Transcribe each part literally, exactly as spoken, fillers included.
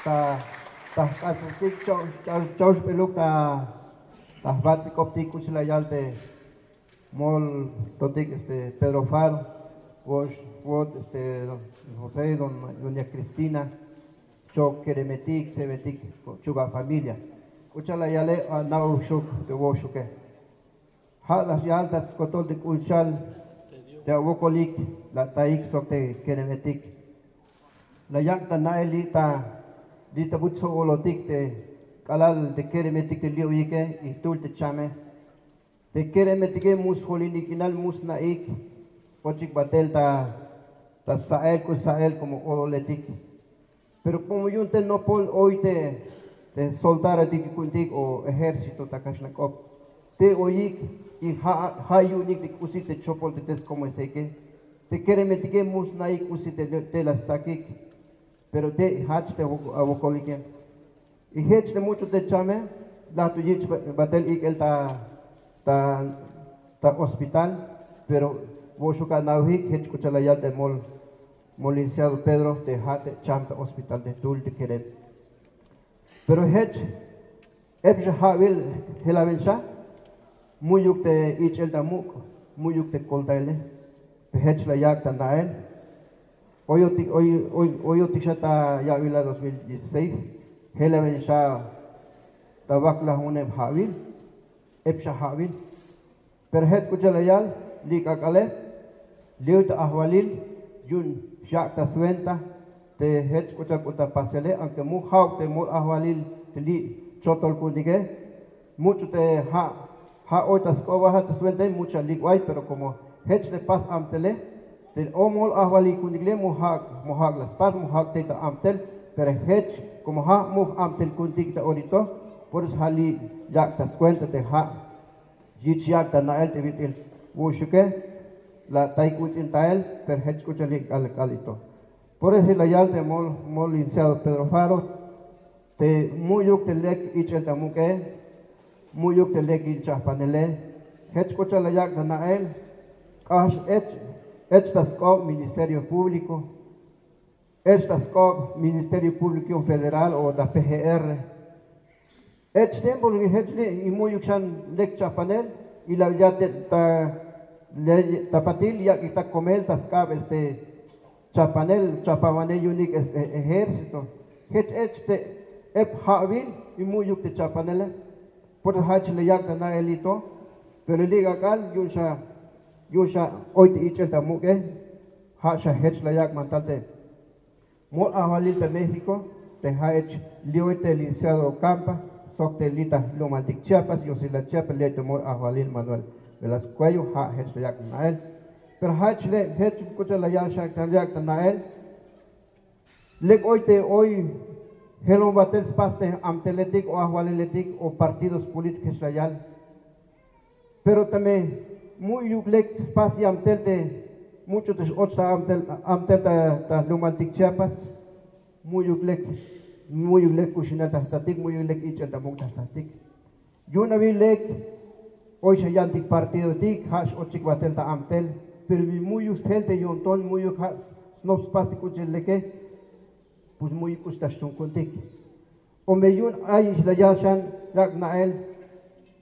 Ta ta jk'astik chawxp'eluk ta ta jbats'ik'optik k'uch'il la yal te moltotik este Pedro Faro, wo'ox wot este José, doña Cristina, chok keremetik, tsebetik, chuba familia. K'uch'il la yale, ana'uxuk te wo'oxuke. Ja' la yal ta skotol te k'uxal te awokolik la ataik sok te keremetik. La yak' ta na'el li' ta li' ta buch sjo'olotik te k'alal te keremetik te li' oyike y jtul te chame. Te keremetike mu sjolinik k'inal, mu sna'ik ochik batel ta ta sa'el k'ux sa'el como ololetik. Pero como yu'un te nopol oy te te soldarotik ku'untik o ejército ta kaxlan k'op, te oyik y ja' ja' yu'unik te k'usi te chopol te te skomoeseke. Te keremetike mu sna'ik k'usi te te la stsakik. Pero te jach te awokolike. Y jech te much'u te chame la to yich' batel ik'el ta ta ta hospital. Pero wo'oxuk ana'ojik jech k'uch'il la yal te mol mol licenciado Pedro te ja' te cham ta hospital te jtul te kerem. Pero jech ep xa ja'bil jelabil xa mu'yuk te ich'el ta muk', mu'yuk te koltaele. Te jech la yak' ta na'el oyotik oyotik xa ta ya'bilal dos mil dieciséis. Jelabil xa ta waklaj unem ja'bil, ep xa ja'bil. Pero jech k'uch'il la yal li' k'ak'ale li'oy ta ajwalil yu'un xyak' ta swenta te jech k'uch'il k'u ta pasele, aunque mu ja'uk te mol ajwalil te li' chotol ku'untike. Much'u te ja' ja' oy ta sk'oba ja' ta swenta much'a lik' way, pero como jech te pas amtele te o mol ajwalil ku'untik le mu ja'uk mu ja'uk la spas mu ja'uk te ta amtel. Pero jech como ja' mu amtel ku'untik ta orito, por eso ja' li' yak' ta swenta te ja' yich' yak' ta na'el te bit'il wu'uxuke la ataik uts'in tael. Pero jech k'uch'il li' k'al k'al ito. Por eso la yal te mol mol licenciado Pedro Faro te mu'yuk te lek ich'el ta muk'e, mu'yuk te lek yin chajpanele. Jech k'uch'il la yak' ta na'el k'ax ech ech ta sk'ob Ministerio Público, ech ta sk'ob Ministerio Público Federal o ta P G R. Ech tiempo li' jech li' y mu'yuk xan lek chajpanel y la ya ta ta patil yak'ik ta komel ta sk'ab este chajpanel chajpanwanej yu'unik este ejército. Jech ech te ep ja'bil y mu'yuk te chajpanele. Por eso jach la yak' ta na'el li' to. Pero li' k'ak'al yu'un xa yu'un xa oy te ich'el ta muk'e. Ja' xa jech la yak' mantal te mol ajwalil ta México te ja' ech li'oy te licenciado Ocampa sok te li' ta jlumaltik Chiapas, Yosilal Chiapas, li'oy te mol ajwalil Manuel Velasco Cuello, ja' jech la yak' na'el. Pero jach le' jech k'uch'il la yal xa la yak' ta na'el. Lek oy te oy jelon batel spas te amteletik o ajwaliletik o partidos políticos jech la yal. Pero teme mu'yuk lek spas yamtel te much'u te x-och ta amtel amtel ta ta jlumaltik Chiapas, mu'yuk lek mu'yuk lek kuxinal ta jtatik, mu'yuk lek ich'el ta muk' ta jtatik. Yu'un abi lek oy xa yantik partidotik ja' x-ochik batel ta amtel. Pero mi mu'yuk sjel te yo'nton mu'yuk ja' snop spas te k'uch'il leke, pues mu'yuk k'ux ta xtuun ku'untik. O me yu'un ay ix la yal xan yak' na'el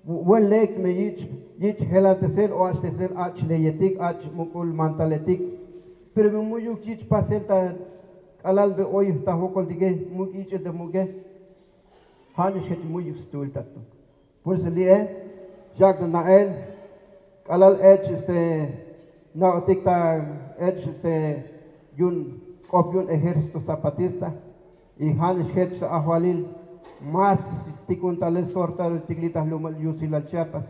wen lek me yich' yich' jelatesel o achtesel ach' leyetik ach' muk'ul mantaletik. Pero me mu'yuk yich' pasel ta k'alal be oy ta jwokoltike muk' ich'el te muk'e. Ja' nix jech mu'yuk stuul ta to. Por eso li'e yak' ta na'el k'alal ech este na'otik ta ech este yu'un k'op yu'un Ejército Zapatista. Y ja' nix jech ta ajwalil más stikun talel sortarotik li' ta jlumal Yusilal Chiapas.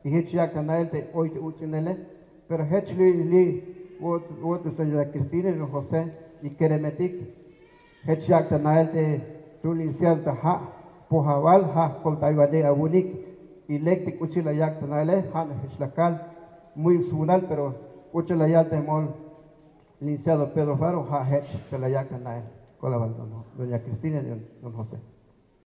Y jech yak' ta na'el te oy te uts'inele. Pero jech li' li' wot wot este la Cristina y José y keremetik. Jech yak' ta na'el te jtul licenciado ta ja' pojawal ja' jkoltaywanej awu'unik. Y lek te k'uch'il la yak' ta na'ele ja' nax jech la kal. Mu'yuk swunal pero k'uch'il la yal te mol licenciado Pedro Faro ja' jech te la yak' ta na'el. Kolabal doña Cristina y don José.